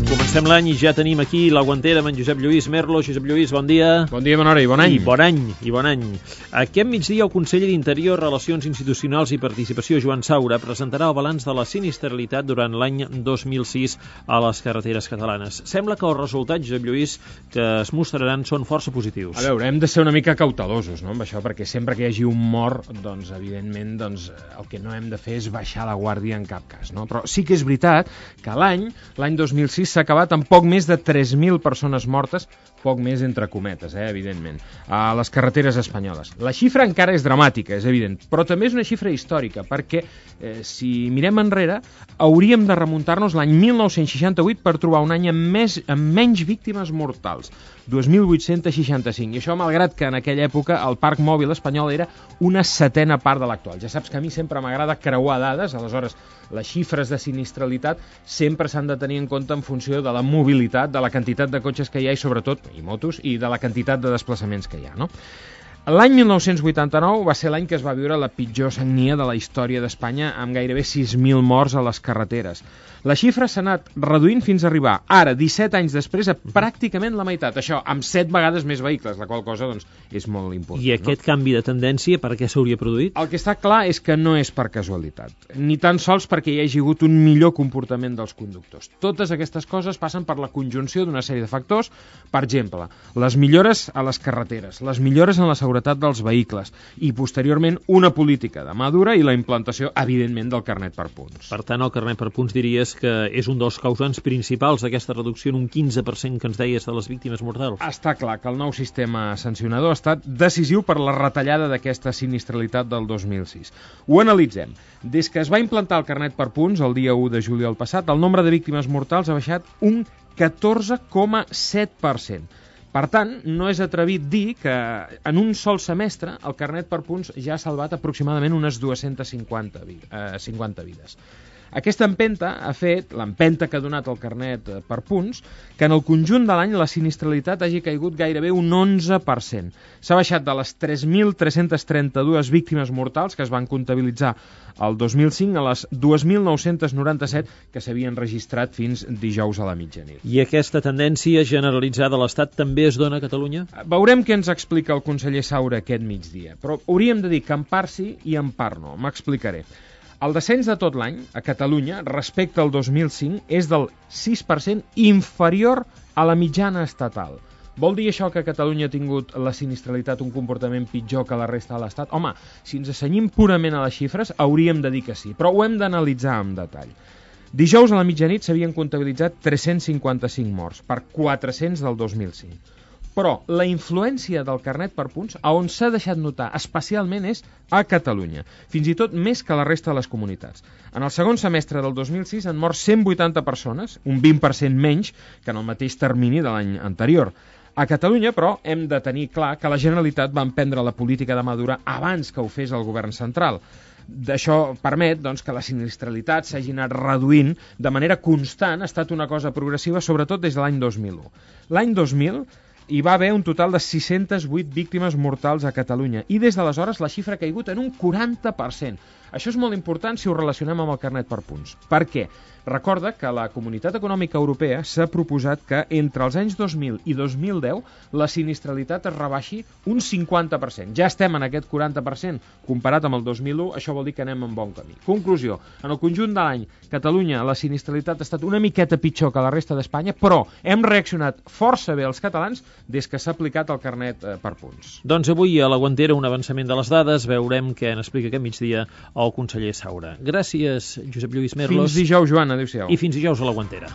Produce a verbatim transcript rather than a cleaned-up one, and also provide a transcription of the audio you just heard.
Comencem l'any i ja tenim aquí la guantera amb en Josep Lluís Merlo. Josep Lluís, bon dia. Bon dia, bona hora i bon any. I bon any, i bon any. Aquest migdia el conseller d'Interior, Relacions Institucionals i Participació, Joan Saura, presentarà el balanç de la sinistralitat durant l'any dos mil sis a les carreteres catalanes. Sembla que els resultats, Josep Lluís, que es mostraran són força positius. A veure, hem de ser una mica cautelosos, no?, amb això, perquè sempre que hi hagi un mort, doncs, evidentment, doncs, el que no hem de fer és baixar la guàrdia en cap cas, no? Però sí que és veritat que l'any, l'any dos mil sis, s'ha acabat amb poc més de tres mil persones mortes, poc més entre cometes, eh, evidentment, a les carreteres espanyoles. La xifra encara és dramàtica, és evident, però també és una xifra històrica, perquè eh, si mirem enrere, hauríem de remuntar-nos l'any mil nou-cents seixanta-vuit per trobar un any amb, més, amb menys víctimes mortals, dos mil vuit-cents seixanta-cinc, i això malgrat que en aquella època el parc mòbil espanyol era una setena part de l'actual. Ja saps que a mi sempre m'agrada creuar dades, aleshores les xifres de sinistralitat sempre s'han de tenir en compte en funció de la mobilitat, de la quantitat de cotxes que hi ha i sobretot, i motos, i de la quantitat de desplaçaments que hi ha, no? L'any mil nou-cents vuitanta-nou va ser l'any que es va viure la pitjor sagnia de la història d'Espanya, amb gairebé sis mil morts a les carreteres. La xifra s'ha anat reduint fins a arribar, ara, disset anys després, a pràcticament la meitat. Això, amb set vegades més vehicles, la qual cosa, doncs, és molt important. I aquest no? canvi de tendència, per què s'hauria produït? El que està clar és que no és per casualitat, ni tan sols perquè hi hagi hagut un millor comportament dels conductors. Totes aquestes coses passen per la conjunció d'una sèrie de factors, per exemple, les millores a les carreteres, les millores en la seguretat dels vehicles i, posteriorment, una política de mà dura i la implantació, evidentment, del carnet per punts. Per tant, el carnet per punts diries que és un dels causants principals d'aquesta reducció en un quinze per cent que ens deies de les víctimes mortals. Està clar que el nou sistema sancionador ha estat decisiu per la retallada d'aquesta sinistralitat del dos mil sis. Ho analitzem. Des que es va implantar el carnet per punts, el dia u de juliol passat, el nombre de víctimes mortals ha baixat un catorze coma set per cent. Per tant, no és atrevit dir que en un sol semestre el carnet per punts ja ha salvat aproximadament unes dues-centes cinquanta vides. Aquesta empenta ha fet, l'empenta que ha donat el carnet per punts, que en el conjunt de l'any la sinistralitat hagi caigut gairebé un onze per cent. S'ha baixat de les tres mil tres-centes trenta-dues víctimes mortals que es van comptabilitzar el dos mil cinc a les dos mil nou-cents noranta-set que s'havien registrat fins dijous a la mitjanit. I aquesta tendència generalitzada a l'Estat també es dona a Catalunya? Veurem què ens explica el conseller Saura aquest migdia, però hauríem de dir que en part sí i en part no. M'explicaré. El descens de tot l'any a Catalunya respecte al dos mil cinc és del sis per cent inferior a la mitjana estatal. Vol dir això que Catalunya ha tingut la sinistralitat un comportament pitjor que la resta de l'Estat? Home, si ens assenyim purament a les xifres, hauríem de dir que sí, però ho hem d'analitzar amb detall. Dijous a la mitjanit s'havien comptabilitzat tres-cents cinquanta-cinc morts, per quatre-cents del dos mil cinc. Però la influència del carnet per punts, a on s'ha deixat notar especialment, és a Catalunya, fins i tot més que la resta de les comunitats. En el segon semestre del dos mil sis han mort cent vuitanta persones, un vint per cent menys que en el mateix termini de l'any anterior. A Catalunya, però, hem de tenir clar que la Generalitat va emprendre la política de mà dura abans que ho fes el govern central. D'això permet doncs, que la sinistralitat s'hagi anat reduint de manera constant, ha estat una cosa progressiva, sobretot des de l'any dos mil u. L'any dos mil hi va haver un total de sis-centes vuit víctimes mortals a Catalunya i des d'aleshores la xifra ha caigut en un quaranta per cent. Això és molt important si ho relacionem amb el carnet per punts. Per què? Recorda que la Comunitat Econòmica Europea s'ha proposat que entre els anys dos mil i dos mil deu la sinistralitat es rebaixi un cinquanta per cent. Ja estem en aquest quaranta per cent. Comparat amb el dos mil u, això vol dir que anem en bon camí. Conclusió, en el conjunt de l'any, Catalunya, la sinistralitat ha estat una miqueta pitjor que la resta d'Espanya, però hem reaccionat força bé els catalans des que s'ha aplicat el carnet per punts. Doncs avui a la Guantera un avançament de les dades, veurem què n'explica aquest migdia el conseller Saura. Gràcies, Josep Lluís Merlos. Fins dijous, Joan. Adéu-siau. I fins dijous a la Guantera.